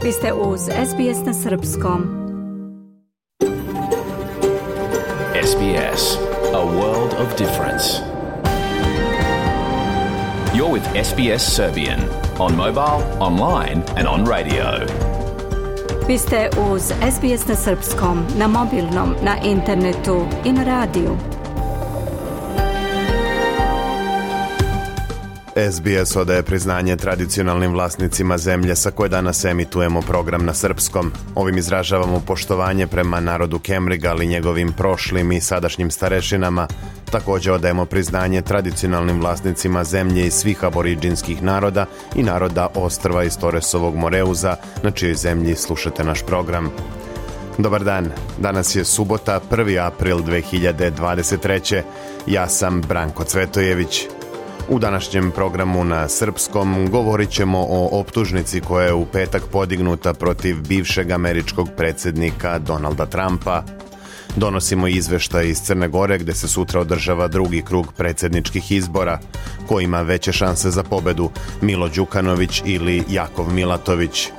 Vi ste uz SBS na Srpskom. SBS, a world of difference. You're with SBS Serbian on mobile, online and on radio. Vi ste uz SBS na Srpskom, na mobilnom, na internetu i na radiju. SBS odaje priznanje tradicionalnim vlasnicima zemlje sa koje danas emitujemo program na srpskom. Ovim izražavamo poštovanje prema narodu Kemriga, ali njegovim prošlim i sadašnjim starešinama. Također odajemo priznanje tradicionalnim vlasnicima zemlje i svih aboriđinskih naroda i naroda ostrva iz Toresovog Moreuza, na čijoj zemlji slušate naš program. Dobar dan, danas je subota, 1. april 2023. Ja sam Branko Cvetojević. U današnjem programu na srpskom govorit ćemo o optužnici koja je u petak podignuta protiv bivšeg američkog predsjednika Donalda Trumpa. Donosimo izveštaj iz Crne Gore gdje se sutra održava drugi krug predsjedničkih izbora. Ko ima veće šanse za pobedu, Milo Đukanović ili Jakov Milatović?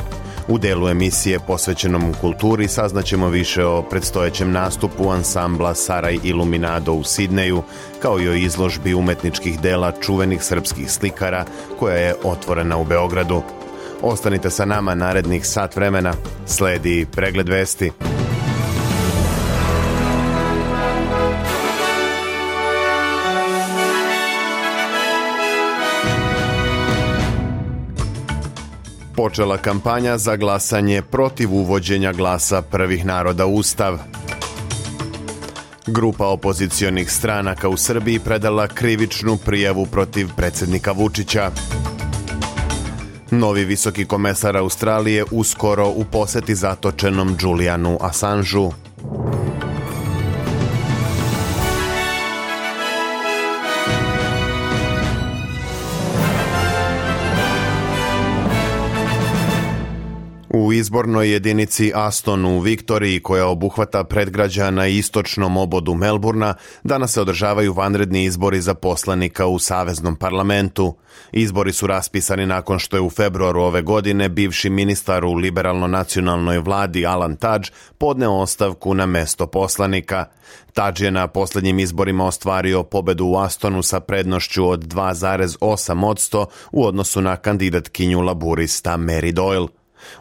U delu emisije posvećenom kulturi saznaćemo više o predstojećem nastupu ansambla Saraj Iluminado u Sidneju, kao i o izložbi umetničkih dela čuvenih srpskih slikara koja je otvorena u Beogradu. Ostanite sa nama narednih sat vremena, sledi pregled vesti. Počela kampanja za glasanje protiv uvođenja glasa prvih naroda u Ustav. Grupa opozicionih stranaka u Srbiji predala krivičnu prijavu protiv predsjednika Vučića. Novi visoki komesar Australije uskoro u poseti zatočenom Julianu Assangeu. U izbornoj jedinici Aston u Viktoriji, koja obuhvata predgrađa na istočnom obodu Melburna, danas se održavaju vanredni izbori za poslanika u Saveznom parlamentu. Izbori su raspisani nakon što je u februaru ove godine bivši ministar u liberalno-nacionalnoj vladi Alan Tudge podneo ostavku na mesto poslanika. Tudge je na posljednjim izborima ostvario pobedu u Astonu sa prednošću od 2,8% u odnosu na kandidatkinju laburista Mary Doyle.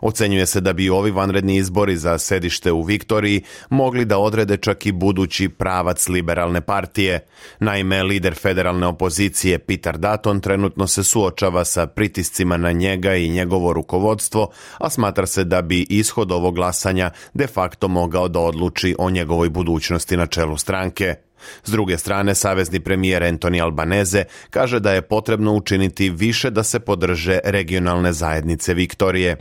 Ocenjuje se da bi ovi vanredni izbori za sedište u Viktoriji mogli da odrede čak i budući pravac liberalne partije. Naime, lider federalne opozicije Peter Dutton trenutno se suočava sa pritiscima na njega i njegovo rukovodstvo, a smatra se da bi ishod ovog glasanja de facto mogao da odluči o njegovoj budućnosti na čelu stranke. S druge strane, savezni premijer Anthony Albanese kaže da je potrebno učiniti više da se podrže regionalne zajednice Viktorije.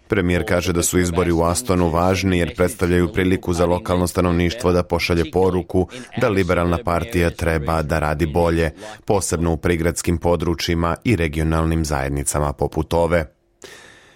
Premijer kaže da su izbori u Astonu važni jer predstavljaju priliku za lokalno stanovništvo da pošalje poruku da liberalna partija treba da radi bolje, posebno u prigradskim područjima i regionalnim zajednicama poput ove.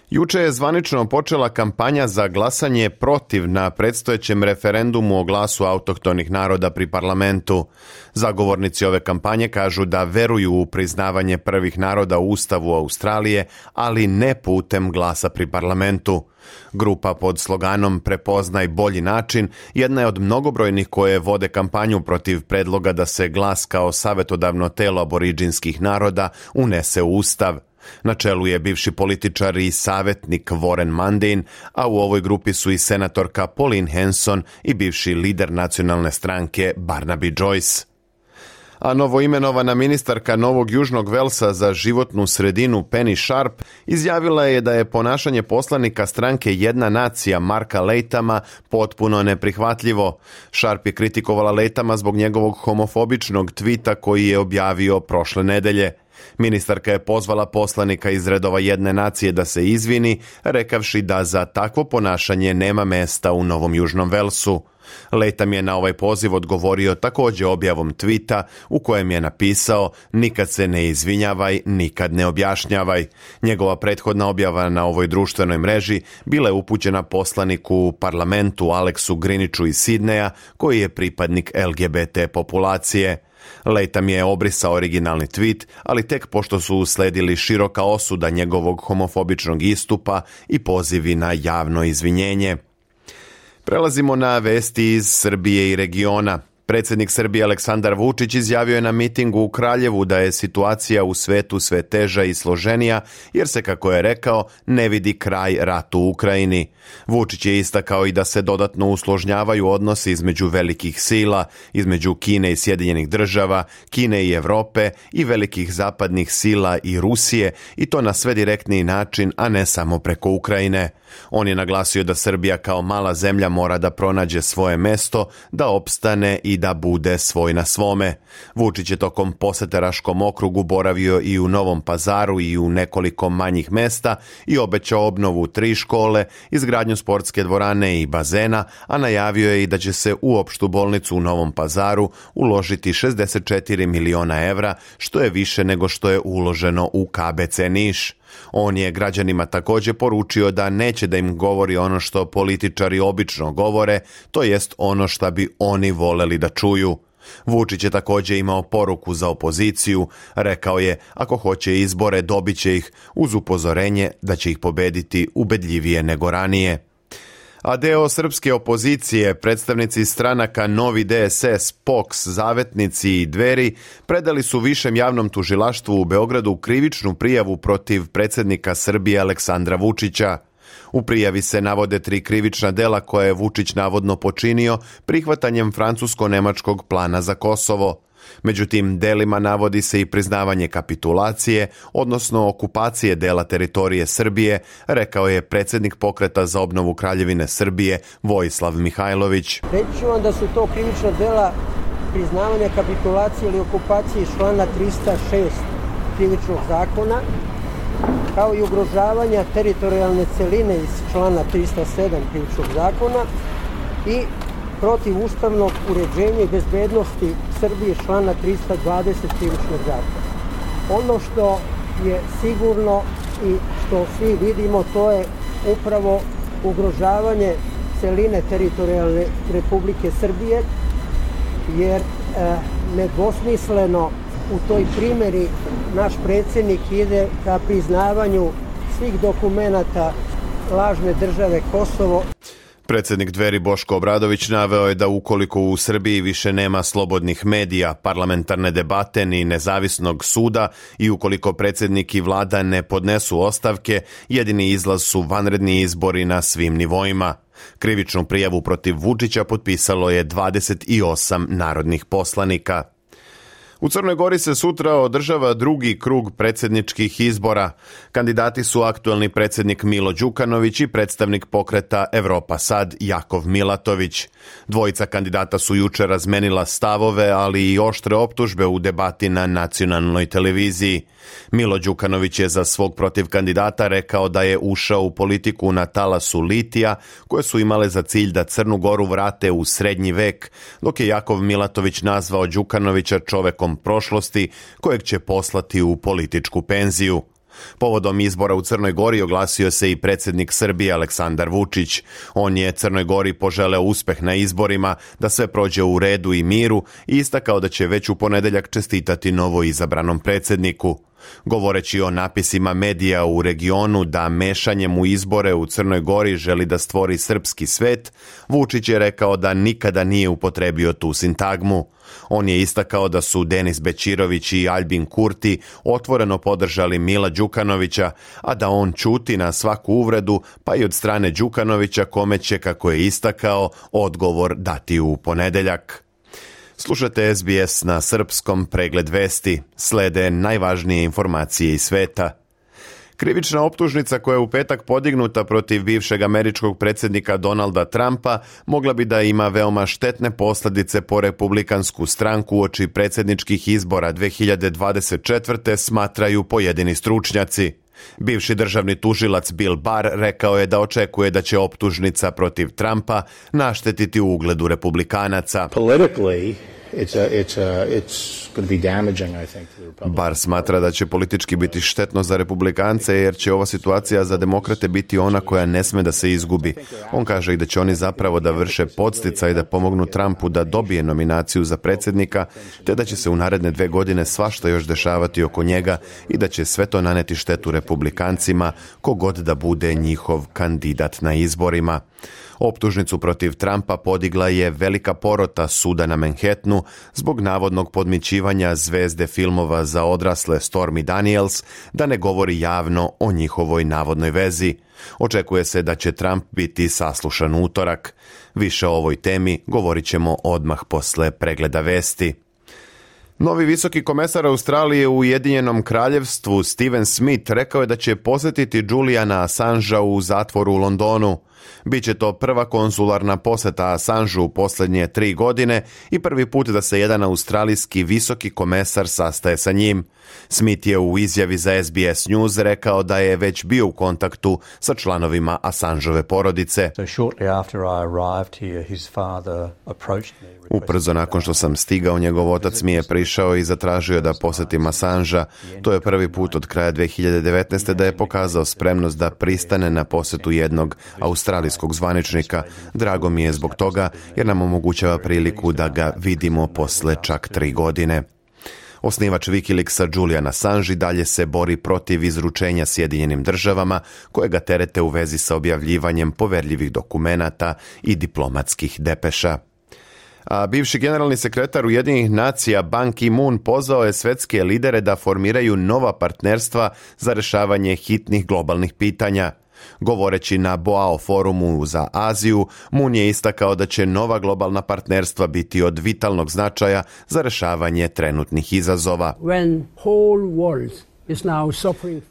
Juče je zvanično počela kampanja za glasanje protiv na predstojećem referendumu o glasu autohtonih naroda pri parlamentu. Zagovornici ove kampanje kažu da veruju u priznavanje prvih naroda u Ustavu Australije, ali ne putem glasa pri parlamentu. Grupa pod sloganom Prepoznaj bolji način jedna je od mnogobrojnih koje vode kampanju protiv predloga da se glas kao savjetodavno telo aboriđinskih naroda unese u Ustav. Na čelu je bivši političar i savjetnik Warren Mundine, a u ovoj grupi su i senatorka Pauline Hanson i bivši lider nacionalne stranke Barnaby Joyce. A novoimenovana ministarka Novog Južnog Velsa za životnu sredinu Penny Sharp izjavila je da je ponašanje poslanika stranke Jedna nacija Marka Latama potpuno neprihvatljivo. Sharp je kritikovala Latama zbog njegovog homofobičnog tvita koji je objavio prošle nedelje. Ministarka je pozvala poslanika iz redova Jedne nacije da se izvini, rekavši da za takvo ponašanje nema mesta u Novom Južnom Velsu. Latham je na ovaj poziv odgovorio također objavom tvita u kojem je napisao: nikad se ne izvinjavaj, nikad ne objašnjavaj. Njegova prethodna objava na ovoj društvenoj mreži bila je upućena poslaniku u parlamentu Alexu Griniću iz Sidneja, koji je pripadnik LGBT populacije. Latham je obrisao originalni tweet, ali tek pošto su usledili široka osuda njegovog homofobičnog istupa i pozivi na javno izvinjenje. Prelazimo na vesti iz Srbije i regiona. Predsjednik Srbije Aleksandar Vučić izjavio je na mitingu u Kraljevu da je situacija u svetu sve teža i složenija, jer se, kako je rekao, ne vidi kraj ratu u Ukrajini. Vučić je istakao i da se dodatno usložnjavaju odnosi između velikih sila, između Kine i Sjedinjenih država, Kine i Europe i velikih zapadnih sila i Rusije, i to na sve direktniji način, a ne samo preko Ukrajine. On je naglasio da Srbija kao mala zemlja mora da pronađe svoje mesto, da opstane i da bude svoj na svome. Vučić je tokom posete Raškom okrugu boravio i u Novom Pazaru i u nekoliko manjih mesta i obećao obnovu 3 škole, izgradnju sportske dvorane i bazena, a najavio je i da će se u opštu bolnicu u Novom Pazaru uložiti 64 miliona evra, što je više nego što je uloženo u KBC Niš. On je građanima također poručio da neće da im govori ono što političari obično govore, to jest ono što bi oni voleli da čuju. Vučić je također imao poruku za opoziciju, rekao je ako hoće izbore dobit će ih, uz upozorenje da će ih pobediti ubedljivije nego ranije. A deo srpske opozicije, predstavnici stranaka Novi DSS, POKS, Zavetnici i Dveri predali su Višem javnom tužilaštvu u Beogradu krivičnu prijavu protiv predsjednika Srbije Aleksandra Vučića. U prijavi se navode 3 krivična dela koje je Vučić navodno počinio prihvatanjem francusko-nemačkog plana za Kosovo. Međutim, delima navodi se i priznavanje kapitulacije, odnosno okupacije dela teritorije Srbije, rekao je predsjednik Pokreta za obnovu Kraljevine Srbije Vojislav Mihajlović. Reći ću vam da su to krivična dela priznavanja kapitulacije ili okupacije iz člana 306 krivičnog zakona, kao i ugrožavanja teritorijalne celine iz člana 307 krivičnog zakona i protiv ustavnog uređenja i bezbednosti Srbije člana 320 krivičnog zakona. Ono što je sigurno i što svi vidimo, to je upravo ugrožavanje celine teritorijalne Republike Srbije, jer nedvosmisleno u toj primjeri naš predsjednik ide ka priznavanju svih dokumenata lažne države Kosovo. Predsjednik Dveri Boško Obradović naveo je da ukoliko u Srbiji više nema slobodnih medija, parlamentarne debate ni nezavisnog suda i ukoliko predsjednik i vlada ne podnesu ostavke, jedini izlaz su vanredni izbori na svim nivoima. Krivičnu prijavu protiv Vučića potpisalo je 28 narodnih poslanika. U Crnoj Gori se sutra održava drugi krug predsjedničkih izbora. Kandidati su aktuelni predsjednik Milo Đukanović i predstavnik Pokreta Evropa Sad Jakov Milatović. Dvojica kandidata su jučer razmenila stavove, ali i oštre optužbe u debati na nacionalnoj televiziji. Milo Đukanović je za svog protivkandidata rekao da je ušao u politiku na talasu litija, koje su imale za cilj da Crnu Goru vrate u srednji vek, dok je Jakov Milatović nazvao Đukanovića čovekom prošlosti kojeg će poslati u političku penziju. Povodom izbora u Crnoj Gori oglasio se i predsjednik Srbije Aleksandar Vučić. On je Crnoj Gori poželeo uspeh na izborima, da sve prođe u redu i miru i istakao da će već u ponedjeljak čestitati novo izabranom predsjedniku. Govoreći o napisima medija u regionu da mešanjem u izbore u Crnoj Gori želi da stvori srpski svet, Vučić je rekao da nikada nije upotrebio tu sintagmu. On je istakao da su Denis Bećirović i Aljbin Kurti otvoreno podržali Mila Đukanovića, a da on ćuti na svaku uvredu, pa i od strane Đukanovića, kome će, kako je istakao, odgovor dati u ponedjeljak. Slušate SBS na srpskom, pregled vesti. Slede najvažnije informacije iz sveta. Krivična optužnica koja je u petak podignuta protiv bivšeg američkog predsjednika Donalda Trumpa mogla bi da ima veoma štetne posljedice po republikansku stranku uoči predsjedničkih izbora 2024. smatraju pojedini stručnjaci. Bivši državni tužilac Bill Barr rekao je da očekuje da će optužnica protiv Trumpa naštetiti ugledu republikanaca. Politically, Barr smatra da će politički biti štetno za republikance jer će ova situacija za demokrate biti ona koja ne sme da se izgubi. On kaže i da će oni zapravo da vrše podsticaj da pomognu Trumpu da dobije nominaciju za predsjednika, te da će se u naredne 2 godine svašta još dešavati oko njega i da će sve to naneti štetu republikancima kogod da bude njihov kandidat na izborima. Optužnicu protiv Trumpa podigla je velika porota suda na Manhattanu zbog navodnog podmićivanja zvezde filmova za odrasle Stormy Daniels da ne govori javno o njihovoj navodnoj vezi. Očekuje se da će Trump biti saslušan u utorak. Više o ovoj temi govorit ćemo odmah posle pregleda vesti. Novi visoki komesar Australije u Ujedinjenom kraljevstvu Steven Smith rekao je da će posjetiti Juliana Assangea u zatvoru u Londonu. Biće to prva konzularna posjeta Assangeu u posljednje 3 godine i prvi put da se jedan australijski visoki komesar sastaje sa njim. Smith je u izjavi za SBS News rekao da je već bio u kontaktu sa članovima Assangeove porodice. Ubrzo nakon što sam stigao, njegov otac mi je prišao i zatražio da posjetim Assangea. To je prvi put od kraja 2019. da je pokazao spremnost da pristane na posjetu jednog australijskog zvaničnika. Drago mi je zbog toga jer nam omogućava priliku da ga vidimo posle čak 3 godine. Osnivač Wikileaksa Julian Assange dalje se bori protiv izručenja Sjedinjenim državama koje ga terete u vezi sa objavljivanjem poverljivih dokumenata i diplomatskih depeša. A bivši generalni sekretar Ujedinjenih nacija Ban Ki-moon pozvao je svetske lidere da formiraju nova partnerstva za rješavanje hitnih globalnih pitanja. Govoreći na Boao forumu za Aziju, Moon je istakao da će nova globalna partnerstva biti od vitalnog značaja za rješavanje trenutnih izazova.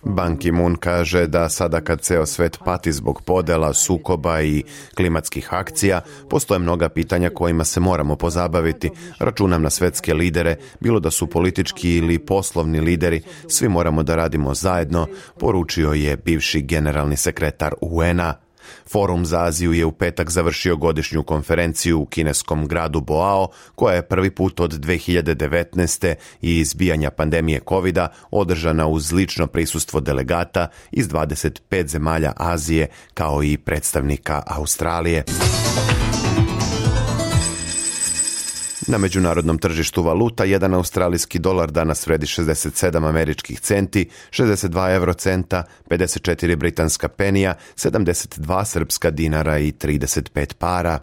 Ban Ki-moon kaže da sada kad ceo svet pati zbog podela, sukoba i klimatskih akcija, postoje mnoga pitanja kojima se moramo pozabaviti. Računam na svetske lidere, bilo da su politički ili poslovni lideri, svi moramo da radimo zajedno, poručio je bivši generalni sekretar UN-a. Forum za Aziju je u petak završio godišnju konferenciju u kineskom gradu Boao, koja je prvi put od 2019. i izbijanja pandemije covida održana uz lično prisustvo delegata iz 25 zemalja Azije kao i predstavnika Australije. Na međunarodnom tržištu valuta jedan australijski dolar danas vredi 67 američkih centi, 62 eurocenta, 54 britanska penija, 72 srpska dinara i 35 para.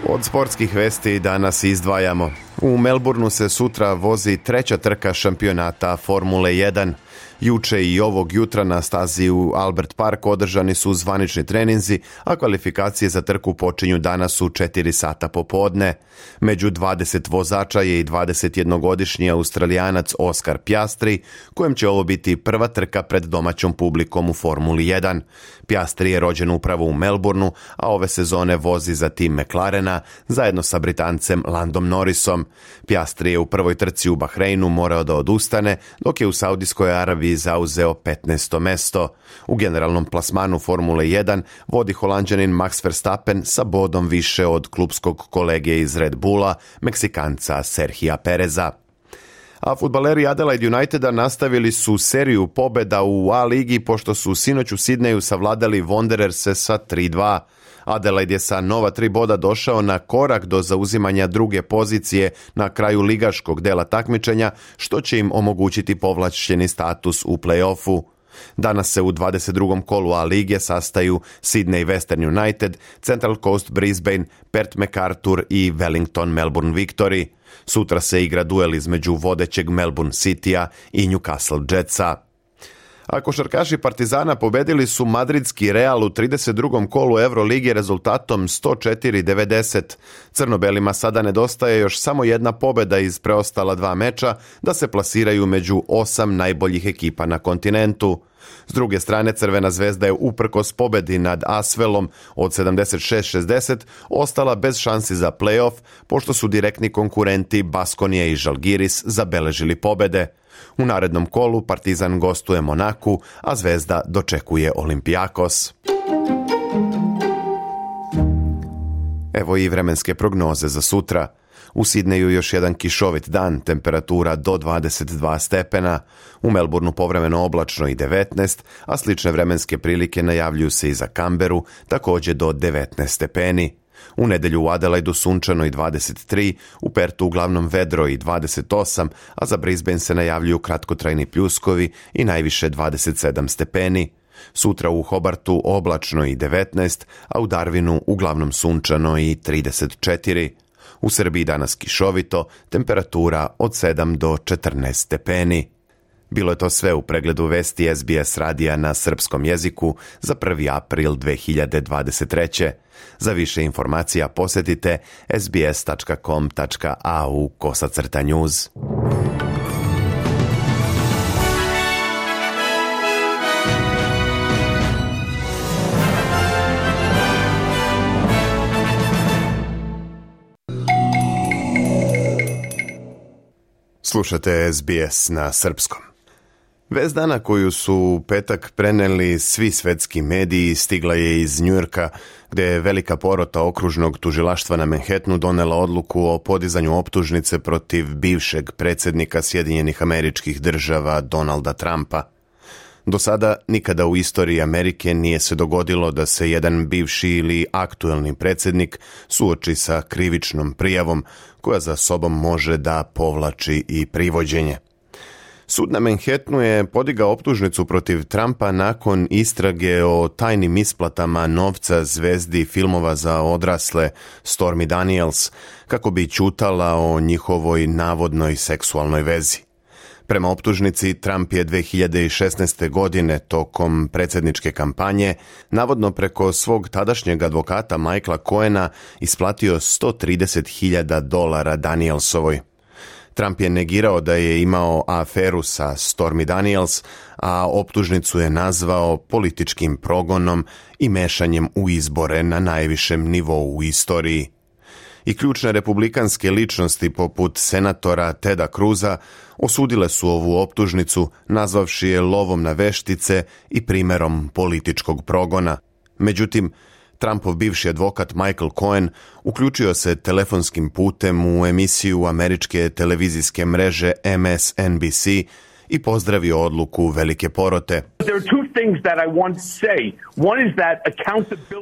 Od sportskih vesti danas izdvajamo. U Melbourneu se sutra vozi 3. trka šampionata Formule 1. Juče i ovog jutra na stazi u Albert Park održani su zvanični treninzi, a kvalifikacije za trku počinju danas u 4 sata popodne. Među 20 vozača je i 21-godišnji Australijanac Oscar Piastri, kojem će ovo biti prva trka pred domaćom publikom u Formuli 1. Piastri je rođen upravo u Melbourneu, a ove sezone vozi za tim McLarena zajedno sa Britancem Landom Norrisom. Piastri je u prvoj trci u Bahreinu morao da odustane, dok je u Saudijskoj Arabiji zauzeo 15. mesto. U generalnom plasmanu Formule 1 vodi Holanđanin Max Verstappen sa bodom više od klupskog kolege iz Red Bulla, Meksikanca Serhija Pereza. A fudbaleri Adelaide Uniteda nastavili su seriju pobjeda u A ligi pošto su sinoć u Sidneju savladali Wandererse sa 3-2. Adelaide je sa nova 3 boda došao na korak do zauzimanja druge pozicije na kraju ligaškog dela takmičenja, što će im omogućiti povlačeni status u play-offu. Danas se u 22. kolu A lige sastaju Sydney Western United, Central Coast Brisbane, Perth MacArthur i Wellington Melbourne Victory. Sutra se igra duel između vodećeg Melbourne Citya i Newcastle Jetsa. A košarkaši Partizana pobedili su madridski Real u 32. kolu Euroligije rezultatom 104-90. Crnobelima sada nedostaje još samo jedna pobjeda iz preostala 2 meča da se plasiraju među 8 najboljih ekipa na kontinentu. S druge strane, Crvena zvezda je uprkos pobjedi nad Asvelom od 76-60 ostala bez šansi za play-off, pošto su direktni konkurenti Baskonije i Žalgiris zabeležili pobjede. U narednom kolu Partizan gostuje Monaku, a Zvezda dočekuje Olympiakos. evo i vremenske prognoze za sutra. U Sidneju još jedan kišovit dan, temperatura do 22 stepena, u Melbourneu povremeno oblačno i 19, a slične vremenske prilike najavljuju se i za Canberu, također do 19 stepeni. U nedjelju u Adelaidu sunčano i 23, u Pertu uglavnom vedro i 28, a za Brisbane se najavljuju kratkotrajni pljuskovi i najviše 27 stepeni. Sutra u Hobartu oblačno i 19, a u Darwinu uglavnom sunčano i 34. U Srbiji danas kišovito, temperatura od 7 do 14 stepeni. Bilo je to sve u pregledu vesti SBS radija na srpskom jeziku za 1. april 2023. Za više informacija posjetite sbs.com.au/news. Slušate SBS na srpskom. Vest dana koju su u petak preneli svi svetski mediji stigla je iz Njujorka, gdje je velika porota okružnog tužilaštva na Manhattanu donela odluku o podizanju optužnice protiv bivšeg predsjednika Sjedinjenih Američkih Država Donalda Trumpa. Do sada nikada u istoriji Amerike nije se dogodilo da se jedan bivši ili aktuelni predsjednik suoči sa krivičnom prijavom koja za sobom može da povlači i privođenje. Sud na Manhattanu je podigao optužnicu protiv Trumpa nakon istrage o tajnim isplatama novca zvezdi filmova za odrasle Stormy Daniels, kako bi ćutala o njihovoj navodnoj seksualnoj vezi. Prema optužnici, Trump je 2016. godine tokom predsjedničke kampanje navodno preko svog tadašnjeg advokata Michaela Cohena isplatio $130,000 Danielsovoj. Trump je negirao da je imao aferu sa Stormy Daniels, a optužnicu je nazvao političkim progonom i mešanjem u izbore na najvišem nivou u istoriji. I ključne republikanske ličnosti poput senatora Teda Cruza osudile su ovu optužnicu, nazvavši je lovom na veštice i primjerom političkog progona. Međutim, Trumpov bivši advokat Michael Cohen uključio se telefonskim putem u emisiju američke televizijske mreže MSNBC i pozdravio odluku velike porote.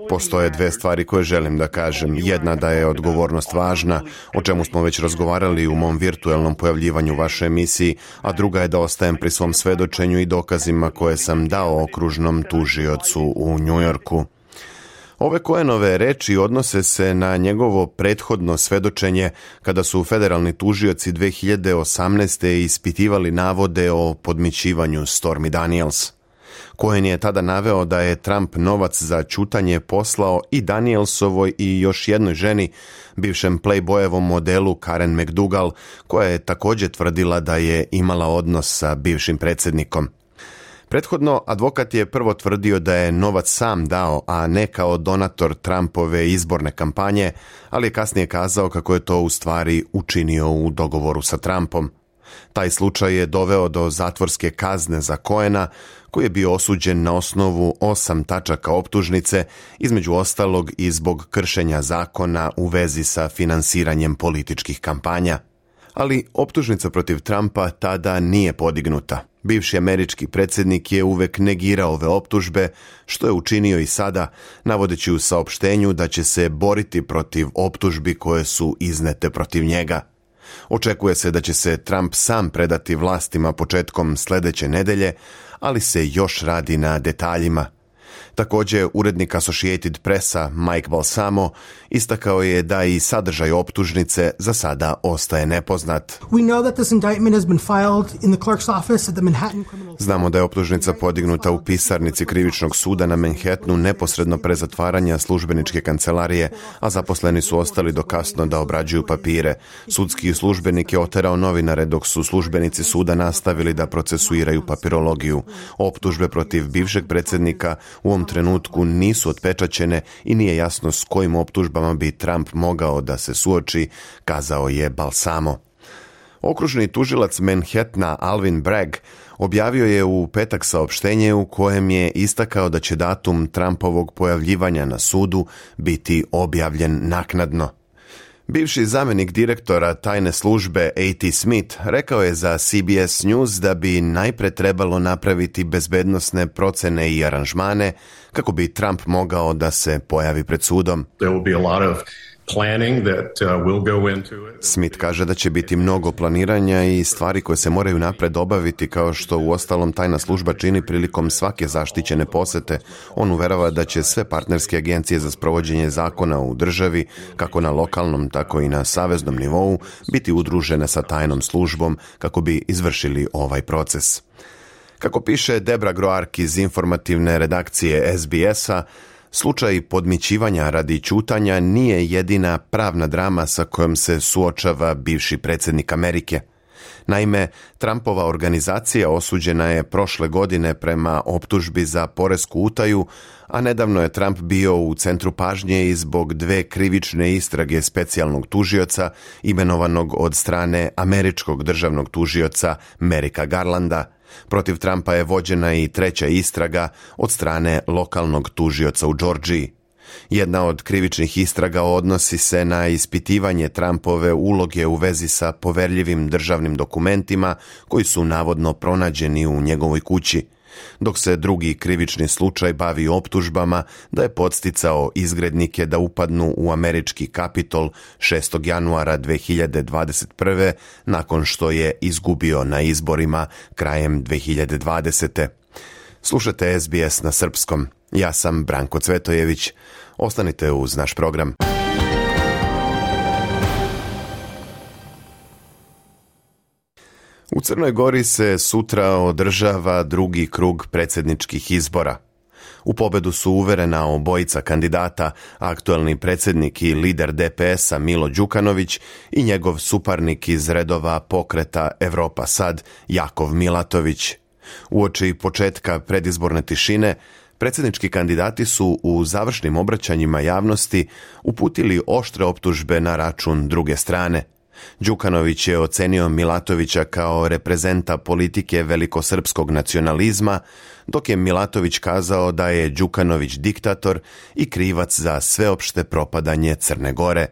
Postoje dve stvari koje želim da kažem. Jedna, da je odgovornost važna, o čemu smo već razgovarali u mom virtualnom pojavljivanju u vašoj emisiji, a druga je da ostajem pri svom svedočenju i dokazima koje sam dao okružnom tužiocu u Njujorku. Ove Cohenove reči odnose se na njegovo prethodno svedočenje kada su federalni tužioci 2018. ispitivali navode o podmićivanju Stormy Daniels. Cohen je tada naveo da je Trump novac za ćutanje poslao i Danielsovoj i još jednoj ženi, bivšem Playboyevom modelu Karen McDougal, koja je također tvrdila da je imala odnos sa bivšim predsjednikom. Prethodno, advokat je prvo tvrdio da je novac sam dao, a ne kao donator Trumpove izborne kampanje, ali je kasnije kazao kako je to u stvari učinio u dogovoru sa Trumpom. Taj slučaj je doveo do zatvorske kazne za Cohena, koji je bio osuđen na osnovu 8 tačaka optužnice, između ostalog i zbog kršenja zakona u vezi sa finansiranjem političkih kampanja. Ali optužnica protiv Trumpa tada nije podignuta. Bivši američki predsjednik je uvek negirao ove optužbe, što je učinio i sada, navodeći u saopštenju da će se boriti protiv optužbi koje su iznete protiv njega. Očekuje se da će se Trump sam predati vlastima početkom sljedeće nedelje, ali se još radi na detaljima. Također, urednik Associated Pressa Mike Balsamo istakao je da i sadržaj optužnice za sada ostaje nepoznat. Znamo da je optužnica podignuta u pisarnici krivičnog suda na Manhattanu neposredno pre zatvaranja službeničke kancelarije, a zaposleni su ostali do kasno da obrađuju papire. Sudski službenik je oterao novinare dok su službenici suda nastavili da procesuiraju papirologiju. Optužbe protiv bivšeg predsjednika u ovom trenutku nisu otpečaćene i nije jasno s kojim optužbama bi Trump mogao da se suoči, kazao je Balsamo. Okružni tužilac Manhattana Alvin Bragg objavio je u petak saopštenje u kojem je istakao da će datum Trumpovog pojavljivanja na sudu biti objavljen naknadno. Bivši zamjenik direktora tajne službe A.T. Smith rekao je za CBS News da bi najpre trebalo napraviti bezbednosne procene i aranžmane kako bi Trump mogao da se pojavi pred sudom. Smith kaže da će biti mnogo planiranja i stvari koje se moraju napred obaviti, kao što uostalom tajna služba čini prilikom svake zaštićene posete. On uverava da će sve partnerske agencije za sprovođenje zakona u državi, kako na lokalnom, tako i na saveznom nivou, biti udružene sa tajnom službom kako bi izvršili ovaj proces. Kako piše Debra Groark iz informativne redakcije SBS-a, slučaj podmićivanja radi ćutanja nije jedina pravna drama sa kojom se suočava bivši predsjednik Amerike. Naime, Trumpova organizacija osuđena je prošle godine prema optužbi za poresku utaju, a nedavno je Trump bio u centru pažnje i zbog 2 krivične istrage specijalnog tužioca imenovanog od strane američkog državnog tužioca Merika Garlanda. Protiv Trumpa je vođena i 3. istraga od strane lokalnog tužioca u Džordžiji. Jedna od krivičnih istraga odnosi se na ispitivanje Trumpove uloge u vezi sa poverljivim državnim dokumentima koji su navodno pronađeni u njegovoj kući, dok se drugi krivični slučaj bavi optužbama da je podsticao izgrednike da upadnu u američki Kapitol 6. januara 2021. nakon što je izgubio na izborima krajem 2020. Slušate SBS na srpskom. Ja sam Branko Cvetojević. Ostanite uz naš program. U Crnoj Gori se sutra održava drugi krug predsjedničkih izbora. U pobedu su uverena obojica kandidata, aktualni predsjednik i lider DPS-a Milo Đukanović i njegov suparnik iz redova pokreta Evropa Sad, Jakov Milatović. Uoči početka predizborne tišine, predsjednički kandidati su u završnim obraćanjima javnosti uputili oštre optužbe na račun druge strane. Đukanović je ocenio Milatovića kao reprezenta politike velikosrpskog nacionalizma, dok je Milatović kazao da je Đukanović diktator i krivac za sveopšte propadanje Crne Gore.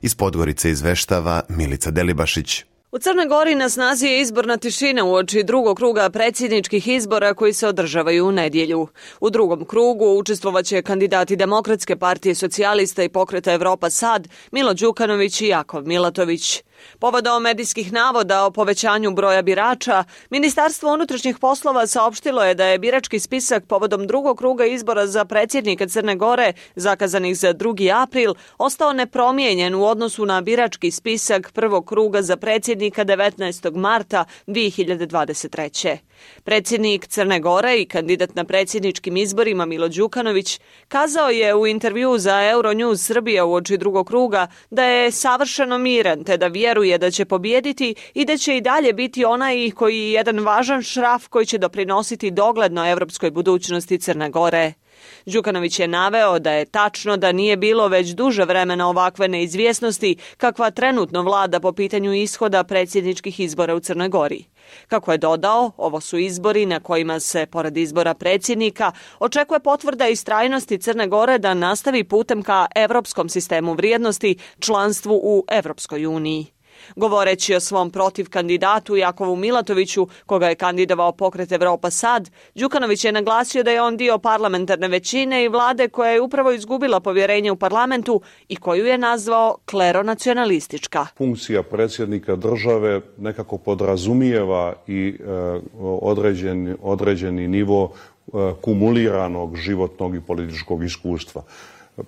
Iz Podgorice izveštava Milica Delibašić. U Crnoj Gori na snazi je izborna tišina uoči drugog kruga predsjedničkih izbora koji se održavaju u nedjelju. U drugom krugu učestvovaće kandidati Demokratske partije socijalista i pokreta Evropa Sad, Milo Đukanović i Jakov Milatović. Povodom medijskih navoda o povećanju broja birača, Ministarstvo unutrašnjih poslova saopštilo je da je birački spisak povodom drugog kruga izbora za predsjednika Crne Gore, zakazanih za 2. april, ostao nepromijenjen u odnosu na birački spisak prvog kruga za predsjednika 19. marta 2023. Predsjednik Crne Gore i kandidat na predsjedničkim izborima Milo Đukanović kazao je u intervju za Euronews Srbija uoči drugog kruga da je savršeno miran te da vjeruje da će pobijediti i da će i dalje biti onaj koji je jedan važan šraf koji će doprinositi dogledno evropskoj budućnosti Crne Gore. Đukanović je naveo da je tačno da nije bilo već duže vremena ovakve neizvjesnosti kakva trenutno vlada po pitanju ishoda predsjedničkih izbora u Crnoj Gori. Kako je dodao, ovo su izbori na kojima se, pored izbora predsjednika, očekuje potvrda istrajnosti Crne Gore da nastavi putem ka evropskom sistemu vrijednosti, članstvu u Evropskoj uniji. Govoreći o svom protiv kandidatu Jakovu Milatoviću, koga je kandidovao pokret Evropa Sad, Đukanović je naglasio da je on dio parlamentarne većine i vlade koja je upravo izgubila povjerenje u parlamentu i koju je nazvao kleronacionalistička. Funkcija predsjednika države nekako podrazumijeva i određeni nivo kumuliranog životnog i političkog iskustva.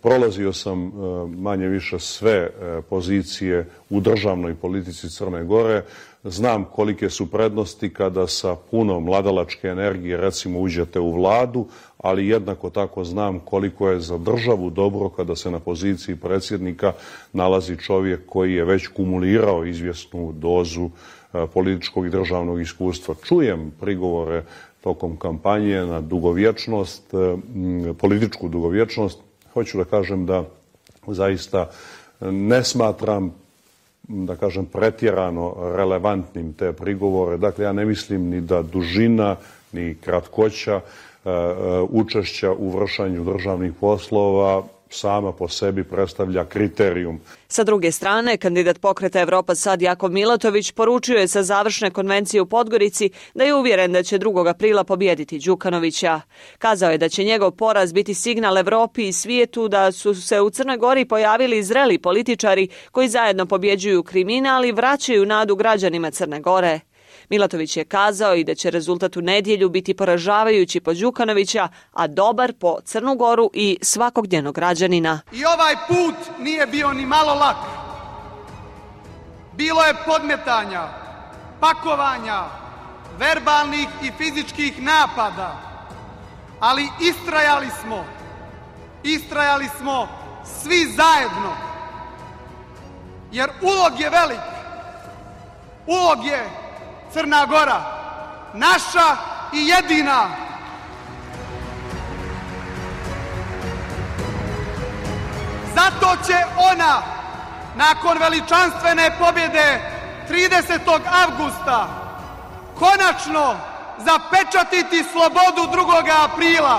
Prolazio sam manje više sve pozicije u državnoj politici Crne Gore. Znam kolike su prednosti kada sa puno mladalačke energije recimo uđete u vladu, ali jednako tako znam koliko je za državu dobro kada se na poziciji predsjednika nalazi čovjek koji je već kumulirao izvjesnu dozu političkog i državnog iskustva. Čujem prigovore tokom kampanje na dugovječnost, političku dugovječnost. Hoću da kažem da zaista ne smatram da kažem, pretjerano relevantnim te prigovore. Dakle, ja ne mislim ni da dužina, ni kratkoća učešća u vršanju državnih poslova sama po sebi predstavlja kriterijum. Sa druge strane, kandidat Pokreta Evropa Sad Jakov Milatović poručio je sa završne konvencije u Podgorici da je uvjeren da će 2. aprila pobijediti Đukanovića. Kazao je da će njegov poraz biti signal Evropi i svijetu da su se u Crnoj Gori pojavili zreli političari koji zajedno pobjeđuju kriminal i vraćaju nadu građanima Crne Gore. Milatović je kazao i da će rezultat u nedjelju biti poražavajući po Đukanovića, a dobar po Crnu Goru i svakog njenog građanina. I ovaj put nije bio ni malo lak. Bilo je podmetanja, pakovanja, verbalnih i fizičkih napada, ali istrajali smo svi zajedno, jer ulog je velik, ulog je Crna Gora, naša i jedina. Zato će ona, nakon veličanstvene pobjede 30. avgusta, konačno zapečatiti slobodu 2. aprila.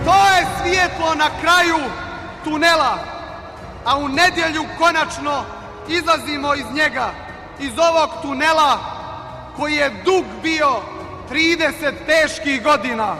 To je svjetlo na kraju tunela, a u nedjelju konačno izlazimo iz njega, iz ovog tunela koji je dug bio 30 teških godina.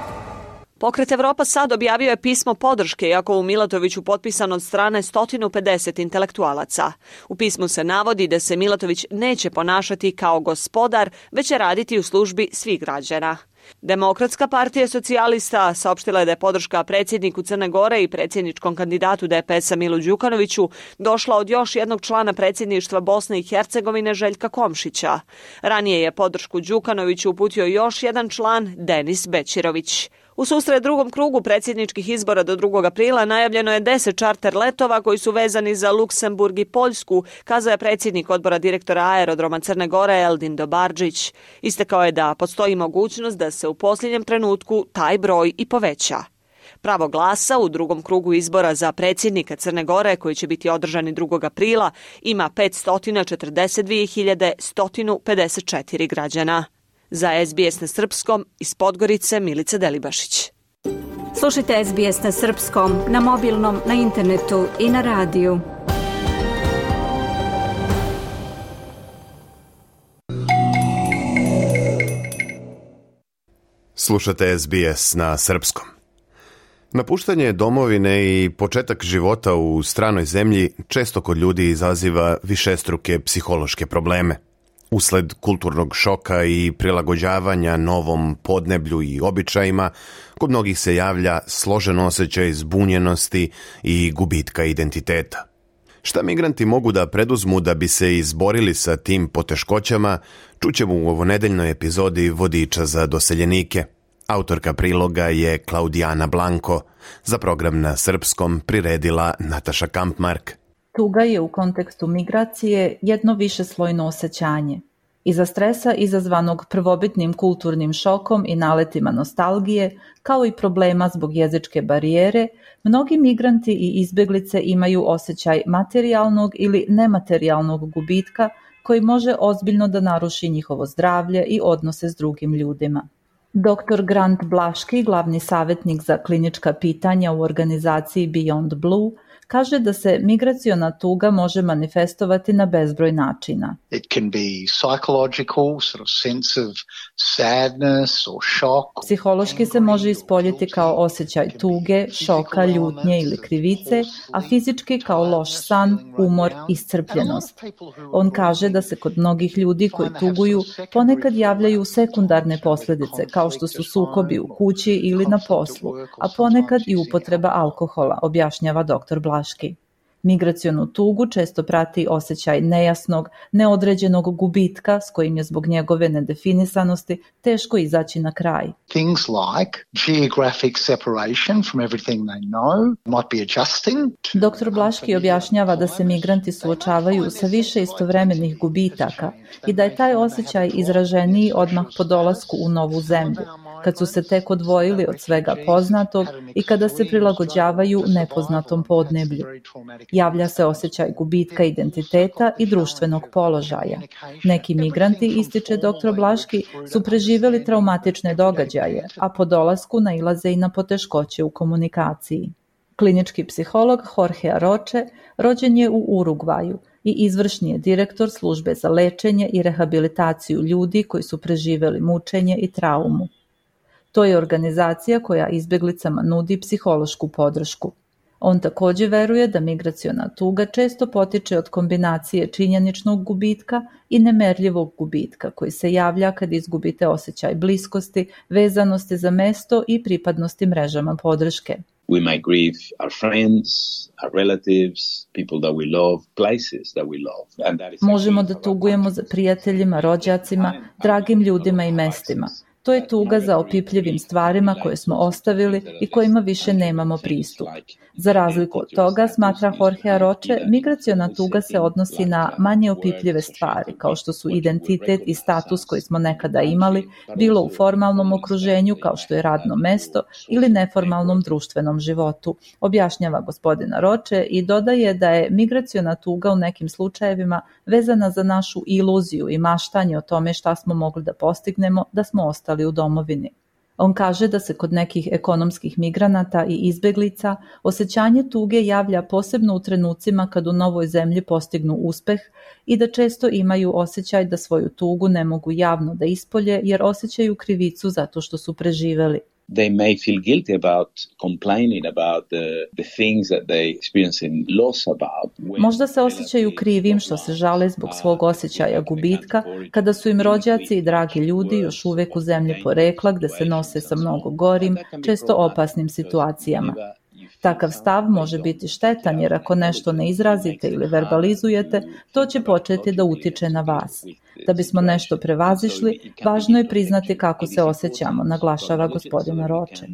Pokret Evropa Sad objavio je pismo podrške Jakovu Milatoviću potpisan od strane 150 intelektualaca. U pismu se navodi da se Milatović neće ponašati kao gospodar, već će raditi u službi svih građana. Demokratska partija socijalista saopštila je da je podrška predsjedniku Crne Gore i predsjedničkom kandidatu DPS-a Milu Đukanoviću došla od još jednog člana predsjedništva Bosne i Hercegovine Željka Komšića. Ranije je podršku Đukanoviću uputio još jedan član Denis Bećirović. U susret drugom krugu predsjedničkih izbora do 2. aprila najavljeno je 10 čarter letova koji su vezani za Luksemburg i Poljsku, kazao je predsjednik odbora direktora aerodroma Crne Gore Eldin Dobarđić. Istakao je da postoji mogućnost da se u posljednjem trenutku taj broj i poveća. Pravo glasa u drugom krugu izbora za predsjednika Crne Gore, koji će biti održani 2. aprila, ima 542.154 građana. Za SBS na srpskom iz Podgorice Milica Delibašić. Slušajte SBS na srpskom, na mobilnom, na internetu i na radiju. Slušate SBS na srpskom. Napuštanje domovine i početak života u stranoj zemlji često kod ljudi izaziva višestruke psihološke probleme. Usled kulturnog šoka i prilagođavanja novom podneblju i običajima, kod mnogih se javlja složen osjećaj zbunjenosti i gubitka identiteta. Šta migranti mogu da preduzmu da bi se izborili sa tim poteškoćama, čućemo u ovonedeljnoj epizodi Vodiča za doseljenike. Autorka priloga je Klaudijana Blanko. Za program na srpskom priredila Nataša Kampmark. Tuga je u kontekstu migracije jedno višeslojno osjećanje. Iza stresa izazvanog prvobitnim kulturnim šokom i naletima nostalgije, kao i problema zbog jezičke barijere, mnogi migranti i izbjeglice imaju osjećaj materijalnog ili nematerijalnog gubitka koji može ozbiljno da naruši njihovo zdravlje i odnose s drugim ljudima. Dr. Grant Blaški, glavni savjetnik za klinička pitanja u organizaciji Beyond Blue, kaže da se migraciona tuga može manifestovati na bezbroj načina. It can be psychological, sort of sense of sadness or shock. Psihološki se može ispoljiti kao osjećaj tuge, šoka, ljutnje ili krivice, a fizički kao loš san, umor, iscrpljenost. On kaže da se kod mnogih ljudi koji tuguju ponekad javljaju sekundarne posljedice, kao što su sukobi u kući ili na poslu, a ponekad i upotreba alkohola, objašnjava dr. Blaški. Migracionu tugu često prati osjećaj nejasnog, neodređenog gubitka s kojim je zbog njegove nedefinisanosti teško izaći na kraj. Things like geographic separation from everything they know might be adjusting. Dr. Blaški objašnjava da se migranti suočavaju sa više istovremenih gubitaka i da je taj osjećaj izraženiji odmah po dolasku u novu zemlju, kad su se tek odvojili od svega poznatog i kada se prilagođavaju nepoznatom podneblju. Javlja se osjećaj gubitka identiteta i društvenog položaja. Neki migranti, ističe dr. Blaški, su preživjeli traumatične događaje, a po dolasku nailaze i na poteškoće u komunikaciji. Klinički psiholog Jorge Aroche rođen je u Urugvaju i izvršni je direktor službe za lečenje i rehabilitaciju ljudi koji su preživjeli mučenje i traumu. To je organizacija koja izbjeglicama nudi psihološku podršku. On također veruje da migraciona tuga često potiče od kombinacije činjeničnog gubitka i nemerljivog gubitka koji se javlja kad izgubite osjećaj bliskosti, vezanosti za mesto i pripadnosti mrežama podrške. We might grieve our friends, our relatives, people that we love, places that we love. And that is Možemo da tugujemo za prijateljima, rođacima, dragim ljudima i mestima. To je tuga za opipljivim stvarima koje smo ostavili i kojima više nemamo pristup. Za razliku od toga, smatra Jorge Aroche, migraciona tuga se odnosi na manje opipljive stvari, kao što su identitet i status koji smo nekada imali, bilo u formalnom okruženju kao što je radno mesto ili neformalnom društvenom životu, objašnjava gospodin Aroche i dodaje da je migraciona tuga u nekim slučajevima vezana za našu iluziju i maštanje o tome šta smo mogli da postignemo da smo ostali u domovini. On kaže da se kod nekih ekonomskih migranata i izbeglica osjećanje tuge javlja posebno u trenucima kad u novoj zemlji postignu uspeh i da često imaju osjećaj da svoju tugu ne mogu javno da ispolje jer osjećaju krivicu zato što su preživeli. They may feel guilty about complaining about the things that they experience in loss about. Možda se osjećaju krivim što se žale zbog svog osjećaja gubitka kada su im rođaci i dragi ljudi još uvek u zemlji porekla gde se nose sa mnogo gorim, često opasnim situacijama. Takav stav može biti štetan jer ako nešto ne izrazite ili verbalizujete, to će početi da utiče na vas. Da bismo nešto prevazišli, važno je priznati kako se osjećamo, naglašava gospodin Aroche.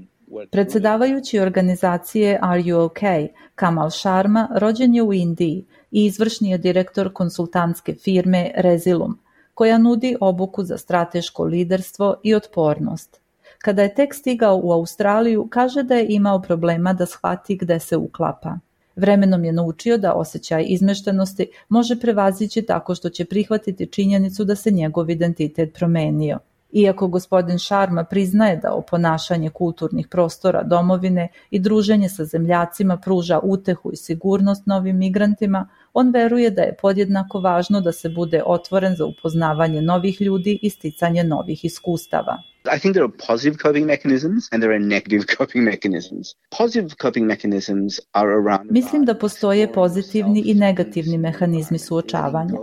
Predsjedavajući organizacije Are You OK, Kamal Sharma, rođen je u Indiji i izvršni je direktor konsultantske firme Resilium, koja nudi obuku za strateško liderstvo i otpornost. Kada je tek stigao u Australiju, kaže da je imao problema da shvati gde se uklapa. Vremenom je naučio da osjećaj izmeštenosti može prevazići tako što će prihvatiti činjenicu da se njegov identitet promenio. Iako gospodin Sharma priznaje da oponašanje kulturnih prostora domovine i druženje sa zemljacima pruža utehu i sigurnost novim migrantima, on veruje da je podjednako važno da se bude otvoren za upoznavanje novih ljudi i sticanje novih iskustava. I think there are positive coping mechanisms and there are negative coping mechanisms. Positive coping mechanisms are around... Mislim da postoje pozitivni i negativni mehanizmi suočavanja.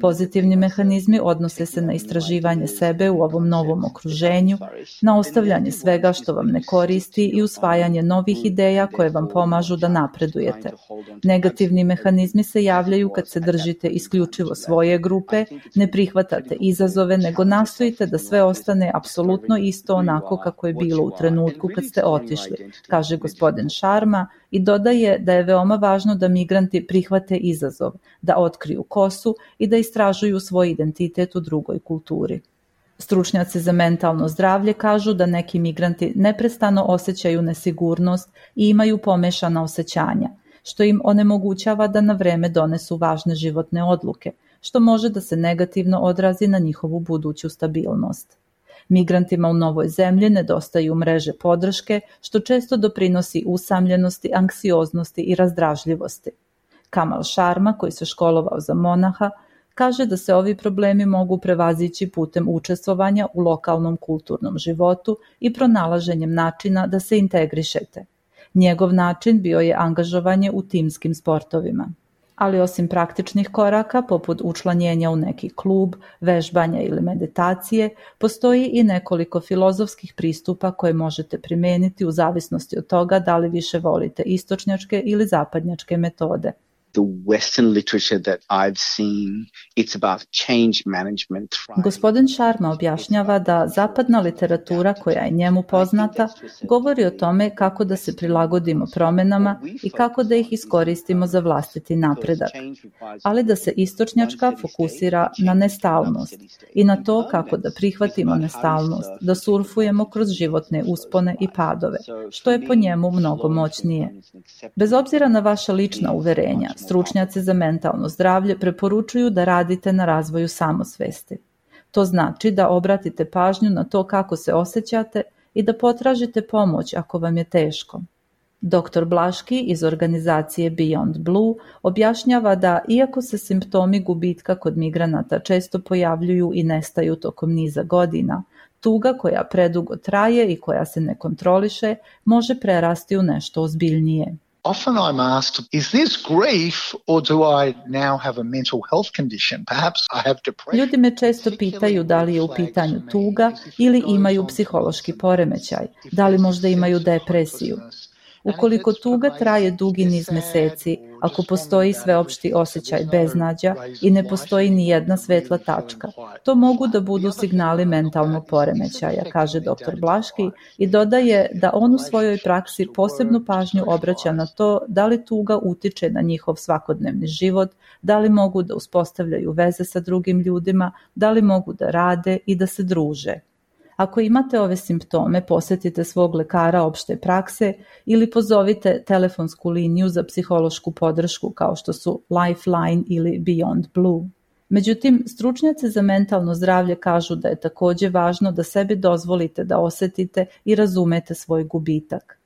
Pozitivni mehanizmi odnose se na istraživanje sebe u ovom novom okruženju, na ostavljanje svega što vam ne koristi i usvajanje novih ideja koje vam pomažu da napredujete. Negativni mehanizmi se javljaju kad se držite isključivo svoje grupe, ne prihvatate izazove, nego nastojite da sve ostane apsolutno isto onako kako je bilo u trenutku kad ste otišli, kaže gospodin Sharma i dodaje da je veoma važno da migranti prihvate izazov, da otkriju ko su i da istražuju svoj identitet u drugoj kulturi. Stručnjaci za mentalno zdravlje kažu da neki migranti neprestano osjećaju nesigurnost i imaju pomešana osjećanja, što im onemogućava da na vreme donesu važne životne odluke, što može da se negativno odrazi na njihovu buduću stabilnost. Migrantima u novoj zemlji nedostaju mreže podrške, što često doprinosi usamljenosti, anksioznosti i razdražljivosti. Kamal Sharma, koji se školovao za monaha, kaže da se ovi problemi mogu prevazići putem učestvovanja u lokalnom kulturnom životu i pronalaženjem načina da se integrišete. Njegov način bio je angažovanje u timskim sportovima. Ali osim praktičnih koraka, poput učlanjenja u neki klub, vežbanja ili meditacije, postoji i nekoliko filozofskih pristupa koje možete primijeniti u zavisnosti od toga da li više volite istočnjačke ili zapadnjačke metode. The Western literature that I've seen, it's about change management. Gospodin Sharma objašnjava da zapadna literatura koja je njemu poznata govori o tome kako da se prilagodimo promjenama i kako da ih iskoristimo za vlastiti napredak, ali da se istočnjačka fokusira na nestalnost i na to kako da prihvatimo nestalnost, da surfujemo kroz životne uspone i padove, što je po njemu mnogo moćnije. Bez obzira na vaša lična uverenja, stručnjaci za mentalno zdravlje preporučuju da radite na razvoju samosvesti. To znači da obratite pažnju na to kako se osjećate i da potražite pomoć ako vam je teško. Dr. Blaški iz organizacije Beyond Blue objašnjava da iako se simptomi gubitka kod migranata često pojavljuju i nestaju tokom niza godina, tuga koja predugo traje i koja se ne kontroliše može prerasti u nešto ozbiljnije. Often I'm asked, is this grief or do I now have a mental health condition? Perhaps I have depression. Ljudi me često pitaju da li je u pitanju tuga ili imaju psihološki poremećaj, da li možda imaju depresiju. Ukoliko tuga traje dugi niz meseci, ako postoji sveopšti osjećaj beznađa i ne postoji ni jedna svetla tačka, to mogu da budu signali mentalnog poremećaja, kaže dr. Blaški i dodaje da on u svojoj praksi posebnu pažnju obraća na to da li tuga utiče na njihov svakodnevni život, da li mogu da uspostavljaju veze sa drugim ljudima, da li mogu da rade i da se druže. Ako imate ove simptome, posjetite svog lekara opšte prakse ili pozovite telefonsku liniju za psihološku podršku kao što su Lifeline ili Beyond Blue. Međutim, stručnjaci za mentalno zdravlje kažu da je također važno da sebi dozvolite da osjetite i razumete svoj gubitak.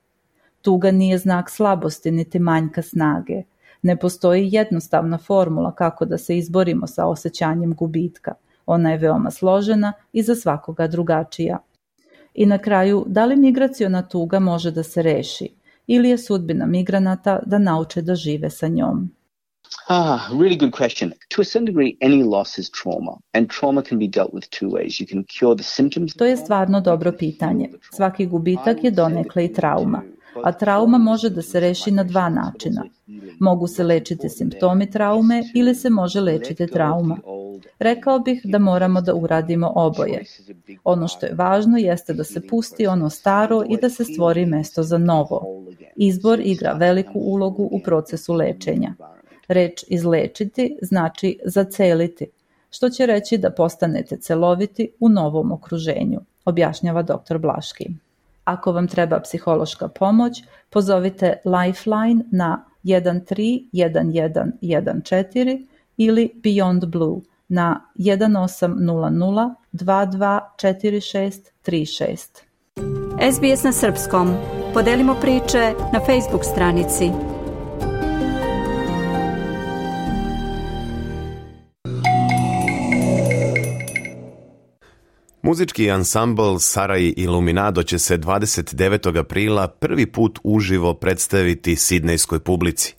Tuga nije znak slabosti niti manjka snage. Ne postoji jednostavna formula kako da se izborimo sa osjećanjem gubitka. Ona je veoma složena i za svakoga drugačija. I na kraju, da li migraciona tuga može da se reši ili je sudbina migranata da nauče da žive sa njom? Really good question. To a certain degree, any loss is trauma, and trauma can be dealt with two ways. You can cure the symptoms. To je stvarno dobro pitanje. Svaki gubitak je donekle i trauma, a trauma može da se reši na dva načina. Mogu se lečiti simptomi traume ili se može lečiti trauma. Rekao bih da moramo da uradimo oboje. Ono što je važno jeste da se pusti ono staro i da se stvori mesto za novo. Izbor igra veliku ulogu u procesu lečenja. Reč izlečiti znači zaceliti, što će reći da postanete celoviti u novom okruženju, objašnjava dr. Blaški. Ako vam treba psihološka pomoć, pozovite Lifeline na 131114 ili Beyond Blue na 1800 224636. SBS na srpskom. Podelimo priče na Facebook stranici. Muzički ansambl Saraj Iluminado će se 29. aprila prvi put uživo predstaviti sidnejskoj publici.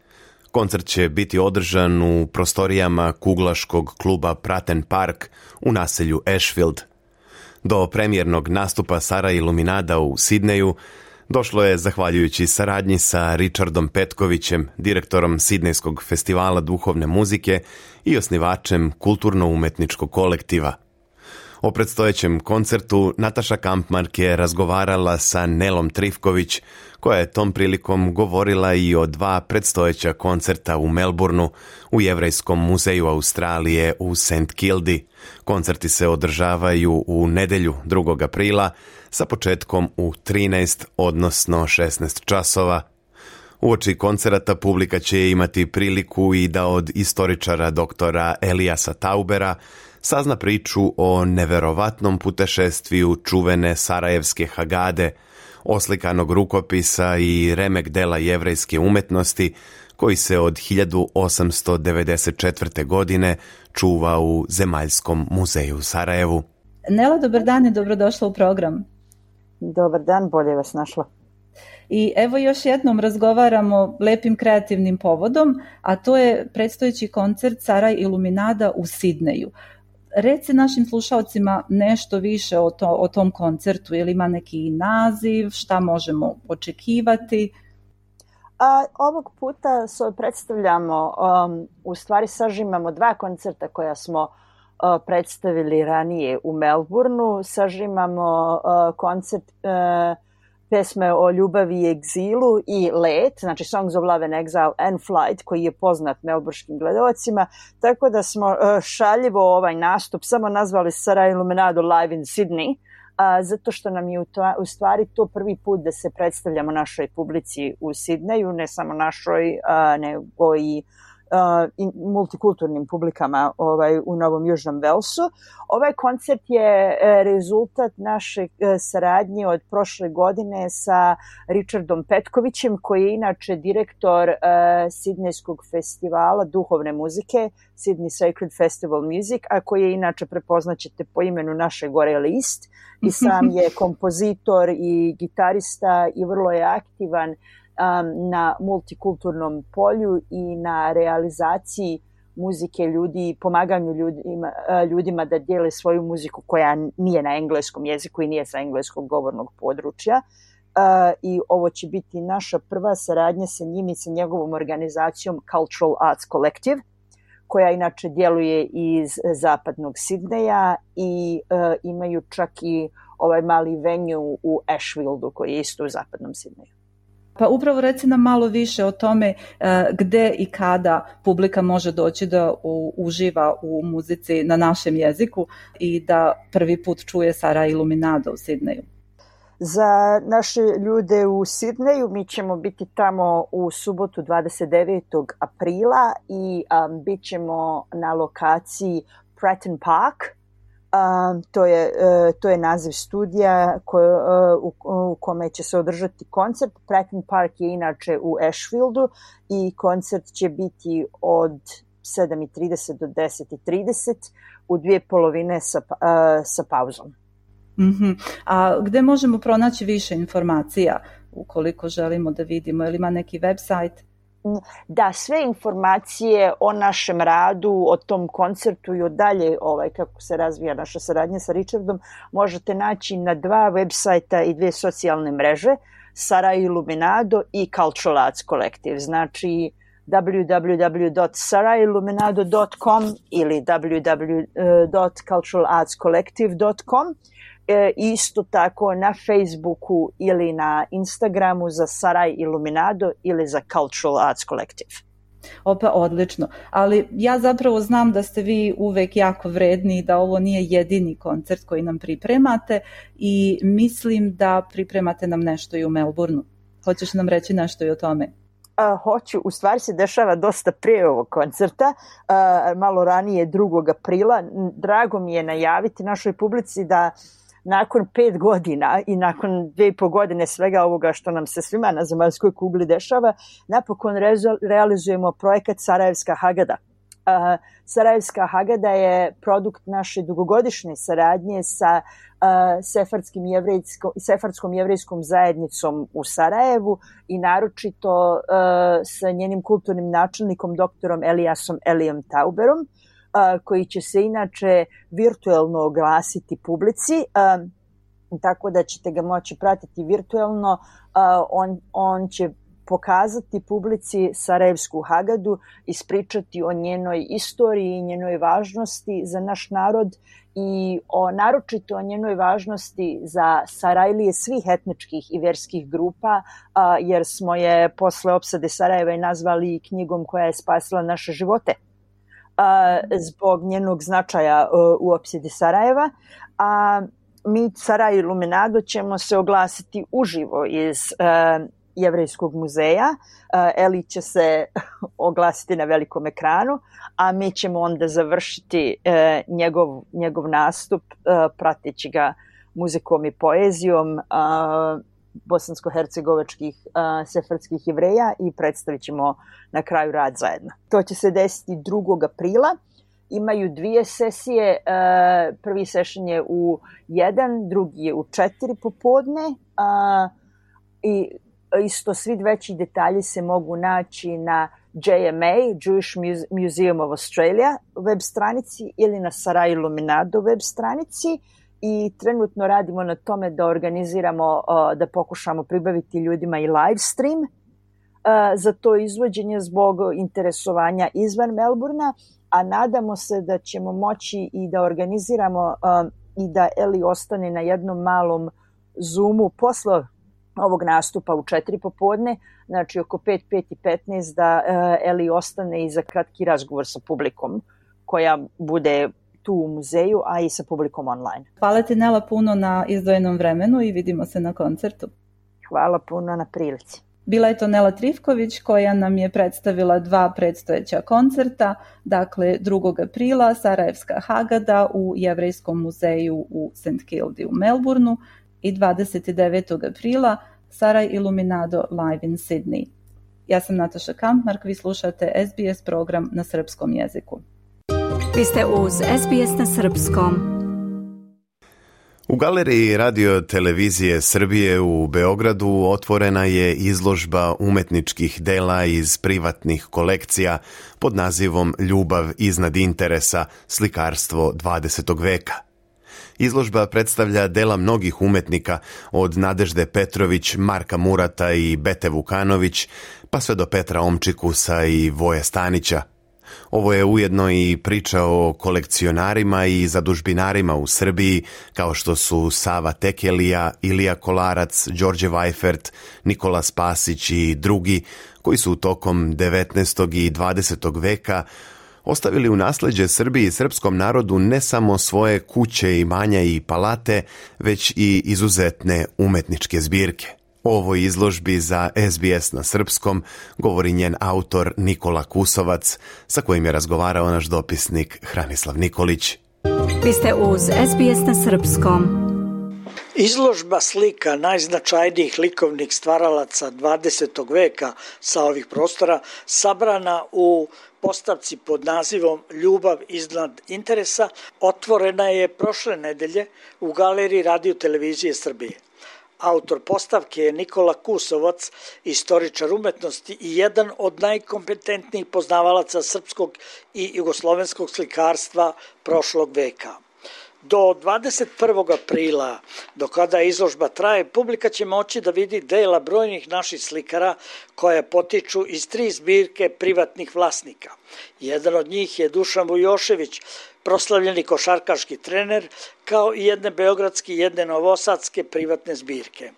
Koncert će biti održan u prostorijama kuglaškog kluba Pratten Park u naselju Ashfield. Do premijernog nastupa Saraj Iluminada u Sidneju došlo je zahvaljujući saradnji sa Richardom Petkovićem, direktorom Sidnejskog festivala duhovne muzike i osnivačem kulturno-umetničkog kolektiva. O predstojećem koncertu Nataša Kampmark je razgovarala sa Nelom Trifković, koja je tom prilikom govorila i o dva predstojeća koncerta u Melbourneu, u Jevrejskom muzeju Australije u St. Kildi. Koncerti se održavaju u nedjelju 2. aprila sa početkom u 13, odnosno 16 časova. Uoči koncerata publika će imati priliku i da od istoričara doktora Elijasa Taubera sazna priču o neverovatnom putešestviju čuvene sarajevske Hagade, oslikanog rukopisa i remek dela jevrejske umetnosti koji se od 1894. godine čuva u Zemaljskom muzeju u Sarajevu. Nela, dobar dan i dobrodošla u program. Dobar dan, bolje vas našla. I evo još jednom razgovaramo lepim kreativnim povodom, a to je predstojeći koncert Saraj Iluminada u Sidneju. Reci našim slušalcima nešto više o tom koncertu, ili ima neki naziv, šta možemo očekivati? Ovog puta predstavljamo, u stvari sažimamo dva koncerta koja smo predstavili ranije u Melbourneu. Sažimamo koncert pesme o ljubavi i egzilu i let, znači Songs of Love and Exile and Flight, koji je poznat melburškim gledalcima, tako da smo šaljivo ovaj nastup samo nazvali Saraj Iluminado Live in Sydney, zato što nam je u stvari to prvi put da se predstavljamo našoj publici u Sidneju, ne samo našoj, nego i multikulturnim publikama u Novom Južnom Velsu. Ovaj koncert je rezultat naše saradnje od prošle godine sa Richardom Petkovićem, koji je inače direktor Sidnejskog festivala duhovne muzike, Sydney Sacred Festival Music, a koji je inače, prepoznaćete po imenu naše gore list, i sam je kompozitor i gitarista i vrlo je aktivan na multikulturnom polju i na realizaciji muzike ljudi, pomaganju ljudima da dijele svoju muziku koja nije na engleskom jeziku i nije sa engleskog govornog područja. I ovo će biti naša prva saradnja sa njim i sa njegovom organizacijom Cultural Arts Collective, koja inače djeluje iz zapadnog Sidneja i imaju čak i ovaj mali venue u Ashfieldu koji je isto u zapadnom Sidneju. Pa upravo reci nam malo više o tome gde i kada publika može doći da uživa u muzici na našem jeziku i da prvi put čuje Sarai Illuminado u Sidneju. Za naše ljude u Sidneju mi ćemo biti tamo u subotu 29. aprila i bit ćemo na lokaciji Pratton Park. To je naziv studija u kome će se održati koncert. Pratton Park je inače u Ashfieldu i koncert će biti od 7:30 do 10:30 u dvije polovine sa pauzom. A gde možemo pronaći više informacija ukoliko želimo da vidimo? Ili ima neki website? Da, sve informacije o našem radu, o tom koncertu i o dalje kako se razvija naša saradnja sa Richardom možete naći na 2 websajta i 2 socijalne mreže, Sarai Illuminado i Cultural Arts Collective. Znači www.saraiilluminado.com ili www.culturalartscollective.com. Isto tako na Facebooku ili na Instagramu za Sarai Illuminado ili za Cultural Arts Collective. Opa, odlično. Ali ja zapravo znam da ste vi uvek jako vredni i da ovo nije jedini koncert koji nam pripremate i mislim da pripremate nam nešto i u Melbourneu. Hoćeš nam reći nešto i o tome? Hoću, u stvari se dešava dosta prije ovog koncerta, malo ranije 2. aprila. Drago mi je najaviti našoj publici da nakon 5 godina i nakon 2,5 godine svega ovoga što nam se svima na zemaljskoj kugli dešava, napokon realizujemo projekat Sarajevska Hagada. Sarajevska Hagada je produkt naše dugogodišnje saradnje sa sefardskom jevrijskom zajednicom u Sarajevu i naročito sa njenim kulturnim načelnikom doktorom Elijasom Elijom Tauberom, koji će se inače virtuelno oglasiti publici, tako da ćete ga moći pratiti virtuelno. On će pokazati publici Sarajevsku Hagadu, ispričati o njenoj istoriji i njenoj važnosti za naš narod i naročito o njenoj važnosti za Sarajlije svih etničkih i verskih grupa, jer smo je posle opsade Sarajeva i nazvali knjigom koja je spasila naše živote zbog njenog značaja u opsadi Sarajeva. Mi Sarai Illuminado ćemo se oglasiti uživo iz Jevrejskog muzeja. Eli će oglasiti na velikom ekranu, a mi ćemo onda završiti njegov nastup prateći ga muzikom i poezijom bosansko-hercegovačkih sefardskih Jevreja i predstavit ćemo na kraju rad zajedno. To će se desiti 2. aprila. Imaju 2 sesije. Prvi session je u 1, drugi je u 4 popodne. I isto svi veći detalji se mogu naći na JMA, Jewish Museum of Australia web stranici ili na Sarai Illuminado web stranici. I trenutno radimo na tome da organiziramo, da pokušamo pribaviti ljudima i live stream za to izvođenje zbog interesovanja izvan Melbournea, a nadamo se da ćemo moći i da organiziramo i da Eli ostane na jednom malom Zoomu posle ovog nastupa u 4 popodne, znači oko 5:15 da Eli ostane i za kratki razgovor sa publikom koja bude tu u muzeju, a i sa publikom online. Hvala ti, Nela, puno na izdvojenom vremenu i vidimo se na koncertu. Hvala puno na prilici. Bila je to Nela Trifković koja nam je predstavila 2 predstojeća koncerta, dakle 2. aprila Sarajevska Hagada u Jevrejskom muzeju u St. Kildi u Melbourneu i 29. aprila Saraj Iluminado live in Sydney. Ja sam Nataša Kampmark, vi slušate SBS program na srpskom jeziku. Vi ste uz SBS na srpskom. U galeriji Radio televizije Srbije u Beogradu otvorena je izložba umetničkih dela iz privatnih kolekcija pod nazivom Ljubav iznad interesa, slikarstvo 20. veka. Izložba predstavlja dela mnogih umetnika, od Nadežde Petrović, Marka Murata i Bete Vukanović, pa sve do Petra Omčikusa i Voje Stanića. Ovo je ujedno i priča o kolekcionarima i zadužbinarima u Srbiji, kao što su Sava Tekelija, Ilija Kolarac, Đorđe Vajfert, Nikola Spasić i drugi, koji su tokom 19. i 20. veka ostavili u nasleđe Srbiji i srpskom narodu ne samo svoje kuće, imanja i palate, već i izuzetne umetničke zbirke. O ovoj izložbi za SBS na srpskom govori njen autor Nikola Kusovac, sa kojim je razgovarao naš dopisnik Hranislav Nikolić. Vi ste uz SBS na srpskom. Izložba slika najznačajnijih likovnih stvaralaca 20. veka sa ovih prostora sabrana u postavci pod nazivom Ljubav iznad interesa otvorena je prošle nedelje u galeriji Radio televizije Srbije. Autor postavke je Nikola Kusovac, istoričar umetnosti i jedan od najkompetentnijih poznavalaca srpskog i jugoslovenskog slikarstva prošlog veka. Do 21. aprila, do kada izložba traje, publika će moći da vidi dela brojnih naših slikara koja potiču iz 3 zbirke privatnih vlasnika. Jedan od njih je Dušan Vujošević, proslavljeni košarkaški trener, kao i jedne beogradske i jedne novosadske privatne zbirke.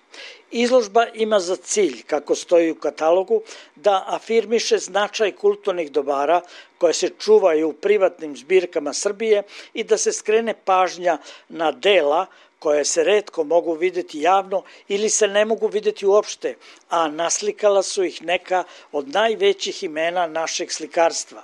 Izložba ima za cilj, kako stoji u katalogu, da afirmiše značaj kulturnih dobara koje se čuvaju u privatnim zbirkama Srbije i da se skrene pažnja na dela koje se retko mogu vidjeti javno ili se ne mogu vidjeti uopšte, a naslikala su ih neka od najvećih imena našeg slikarstva.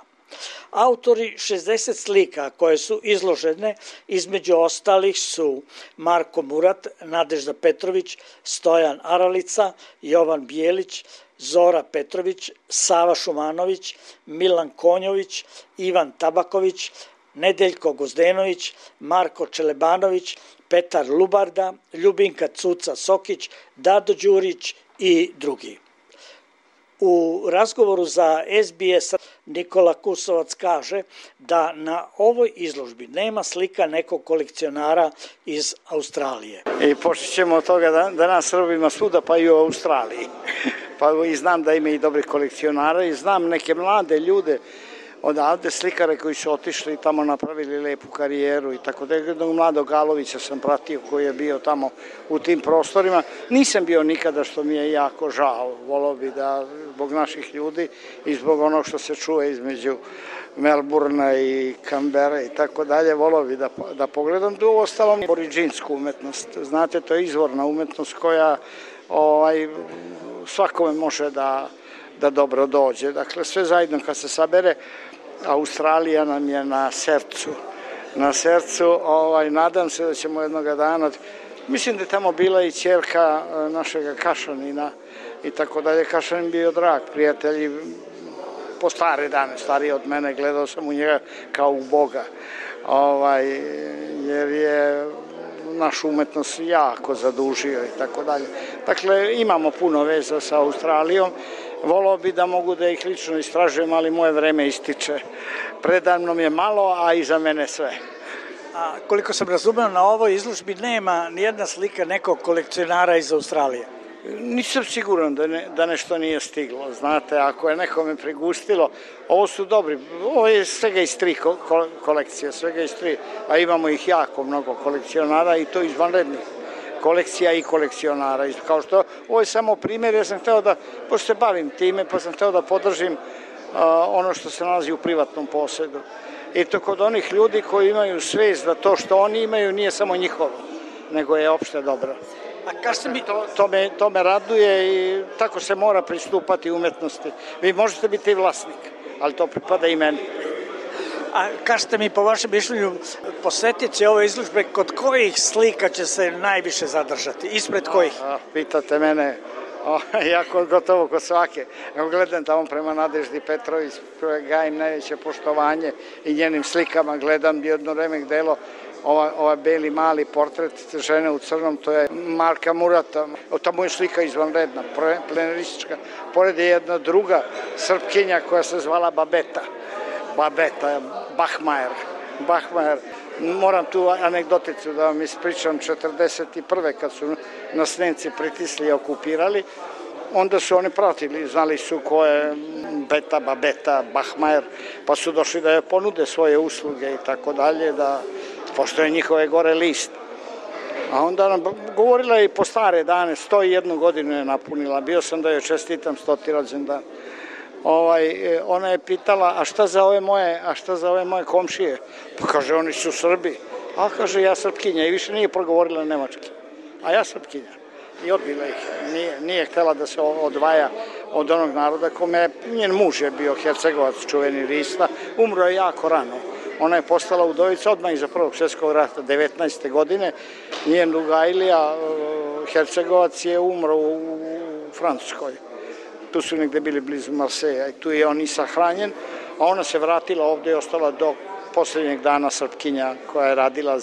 Autori 60 slika koje su izložene između ostalih su Marko Murat, Nadežda Petrović, Stojan Aralica, Jovan Bijelić, Zora Petrović, Sava Šumanović, Milan Konjović, Ivan Tabaković, Nedeljko Gozdenović, Marko Čelebanović, Petar Lubarda, Ljubinka Cuca Sokić, Dado Đurić i drugi. U razgovoru za SBS Nikola Kusovac kaže da na ovoj izložbi nema slika nekog kolekcionara iz Australije. I počet ćemo od toga da nas Srbi ima svuda, pa i u Australiji. Pa i znam da ima i dobrih kolekcionara i znam neke mlade ljude odavde, slikare koji su otišli i tamo napravili lepu karijeru i tako da. Jednog mladog Galovića sam pratio koji je bio tamo u tim prostorima. Nisam bio nikada, što mi je jako žao. Volao bi da zbog naših ljudi i zbog onog što se čuje između Melburna i Kambere i tako dalje, volao bi da pogledam. Tu ostalom oriđinsku umetnost. Znate, to je izvorna umetnost koja svakome može da dobro dođe. Dakle, sve zajedno kad se sabere, Australija nam je na srcu. Nadam se da ćemo jednoga dana, mislim da je tamo bila i ćerka našega Kašanina i tako dalje. Kašanin bio drag prijatelj, po stare dane, stariji od mene, gledao sam u njega kao u Boga, jer je našu umetnost jako zadužio i tako dalje. Dakle, imamo puno veza sa Australijom. Volao bi da mogu da ih lično istražujem, ali moje vreme ističe. Predavno mi je malo, a iza mene sve. A koliko sam razumeo, na ovoj izložbi nema nijedna slika nekog kolekcionara iz Australije. Nisam siguran da nešto nije stiglo. Znate, ako je nekome prigustilo, ovo su dobri. Ovo je svega iz 3 kolekcije, svega iz 3, a imamo ih jako mnogo kolekcionara i to izvanrednih kolekcija i kolekcionara. Kao što, ovo je samo primjer, ja sam hteo da, pošto se bavim time, pa sam hteo da podržim ono što se nalazi u privatnom posedu. I to kod onih ljudi koji imaju svest da to što oni imaju nije samo njihovo, nego je opšte dobro. A kažete mi... To me raduje i tako se mora pristupati umetnosti. Vi možete biti vlasnik, ali to pripada i meni. A kažete mi, po vašem mišljenju, posjetioci ove izložbe, kod kojih slika će se najviše zadržati? Ispred kojih? Pitate mene, ja gotovo kod svake. Evo gledam tamo prema Nadeždi Petrović, koje gajim najveće poštovanje i njenim slikama gledam jedno remek delo, ovaj beli mali portret žene u crnom, to je Marka Murata. Tamo je slika izvanredna, pleneristička. Pored je jedna druga Srpkinja koja se zvala Babeta, Bachmajer. Moram tu anegdoticu da vam ispričam. 1941. kad su nas Nemci pritisli i okupirali, onda su oni pratili, znali su ko je Babeta, Bachmajer, pa su došli da je ponude svoje usluge i tako dalje, da pošto je njihove gore list. A onda nam govorila je i po stare dane, 101 godinu je napunila, bio sam da joj čestitam 100. rođendan. Ona je pitala, a šta za ove moje komšije? Pa kaže, oni su Srbi. A kaže, ja Srpkinja, i više nije progovorila nemački. A ja Srpkinja. I odbila ih. Nije htjela da se odvaja od onog naroda kome njen muž je bio Hercegovac, čuveni Rista. Umro je jako rano. Ona je postala udovica odmah iza Prvog svjetskog rata, 19. godine. Njen druga Ilija, Hercegovac, je umro u Francuskoj. Tu su negde bili blizu Marseja i tu je on i sahranjen, a ona se vratila ovdje i ostala do posljednjeg dana Srpkinja koja je radila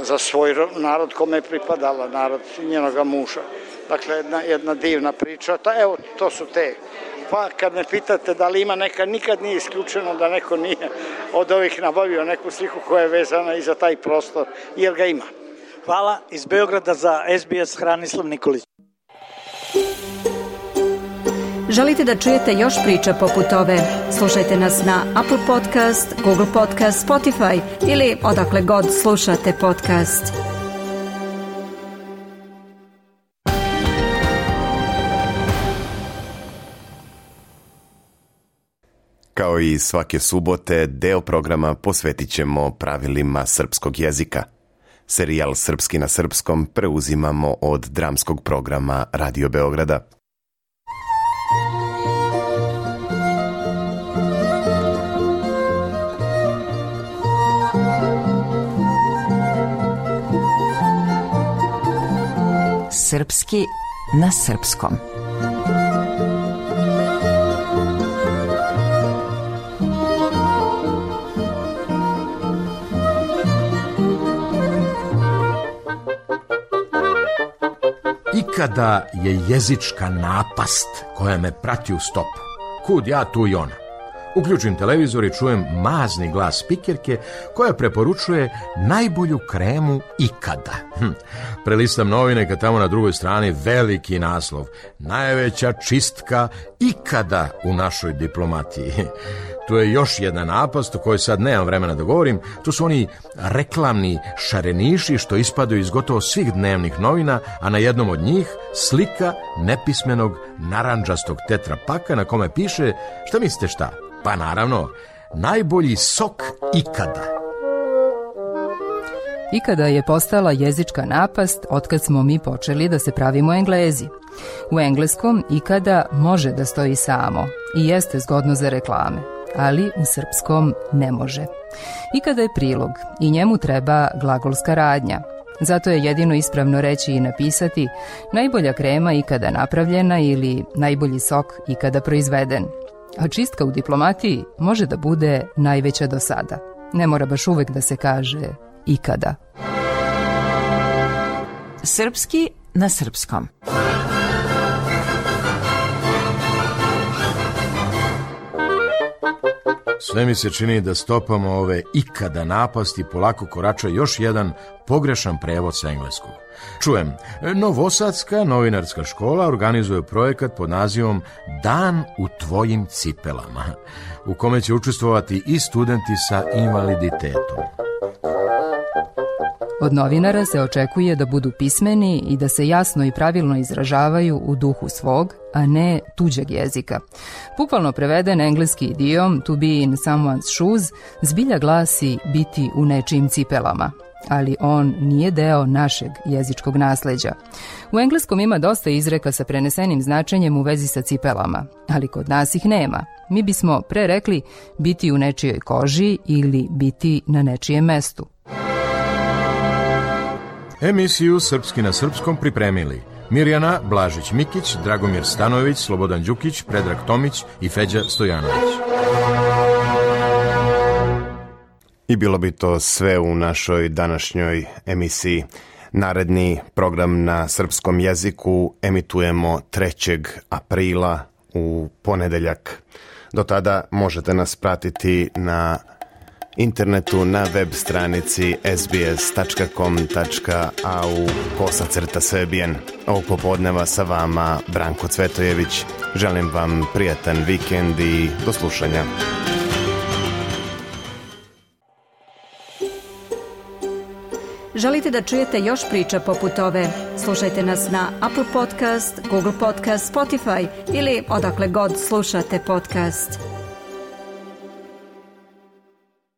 za svoj narod kome je pripadala, narod njenoga muža. Dakle, jedna divna priča. Evo, to su te. Pa kad me pitate da li ima neka, nikad nije isključeno da neko nije od ovih nabavio neku sliku koja je vezana i za taj prostor, jer ga ima. Hvala. Iz Beograda za SBS Hranislav Nikolić. Želite da čujete još priča poput ove? Slušajte nas na Apple Podcast, Google Podcast, Spotify ili odakle god slušate podcast. Kao i svake subote, deo programa posvetit ćemo pravilima srpskog jezika. Serijal Srpski na srpskom preuzimamo od dramskog programa Radio Beograda. Srpski na srpskom. Ikada je jezička napast koja me prati u stopu. Kud ja, tu i ona. Uključim televizor i čujem mazni glas spikerke koja preporučuje najbolju kremu ikada. Prelistam novine kad tamo na drugoj strani veliki naslov. Najveća čistka ikada u našoj diplomatiji. Tu je još jedna napast o kojoj sad nemam vremena da govorim. To su oni reklamni šareniši što ispadaju iz gotovo svih dnevnih novina, a na jednom od njih slika nepismenog narandžastog tetrapaka na kome piše, šta mislite šta? Pa naravno, najbolji sok ikada. Ikada je postala jezička napast otkad smo mi počeli da se pravimo Englezi. U engleskom ikada može da stoji samo i jeste zgodno za reklame, ali u srpskom ne može. Ikada je prilog i njemu treba glagolska radnja. Zato je jedino ispravno reći i napisati najbolja krema ikada napravljena ili najbolji sok ikada proizveden. A čistka u diplomatiji može da bude najveća do sada. Ne mora baš uvek da se kaže ikada. Srpski na srpskom. Sve mi se čini da stopama ove ikada napasti polako korača još jedan pogrešan prevod sa engleskog. Čujem, Novosadska novinarska škola organizuje projekat pod nazivom Dan u tvojim cipelama, u kome će učestvovati i studenti sa invaliditetom. Od novinara se očekuje da budu pismeni i da se jasno i pravilno izražavaju u duhu svog, a ne tuđeg jezika. Bukvalno preveden engleski idiom to be in someone's shoes zbilja glasi biti u nečijim cipelama. ali on nije deo našeg jezičkog nasleđa. U engleskom ima dosta izreka sa prenesenim značenjem u vezi sa cipelama, ali kod nas ih nema. Mi bismo pre rekli biti u nečijoj koži ili biti na nečijem mestu. Emisiju Srpski na srpskom pripremili Mirjana Blažić-Mikić, Dragomir Stanojević, Slobodan Đukić, Predrag Tomić i Feđa Stojanović. I bilo bi to sve u našoj današnjoj emisiji. Naredni program na srpskom jeziku emitujemo 3. aprila u ponedeljak. Do tada možete nas pratiti na internetu na web stranici sbs.com.au/Serbian. Ovog popodneva sa vama Branko Cvetojević. Želim vam prijatan vikend i do slušanja. Želite da čujete još priča poput ove? Slušajte nas na Apple Podcast, Google Podcast, Spotify ili odakle god slušate podcast.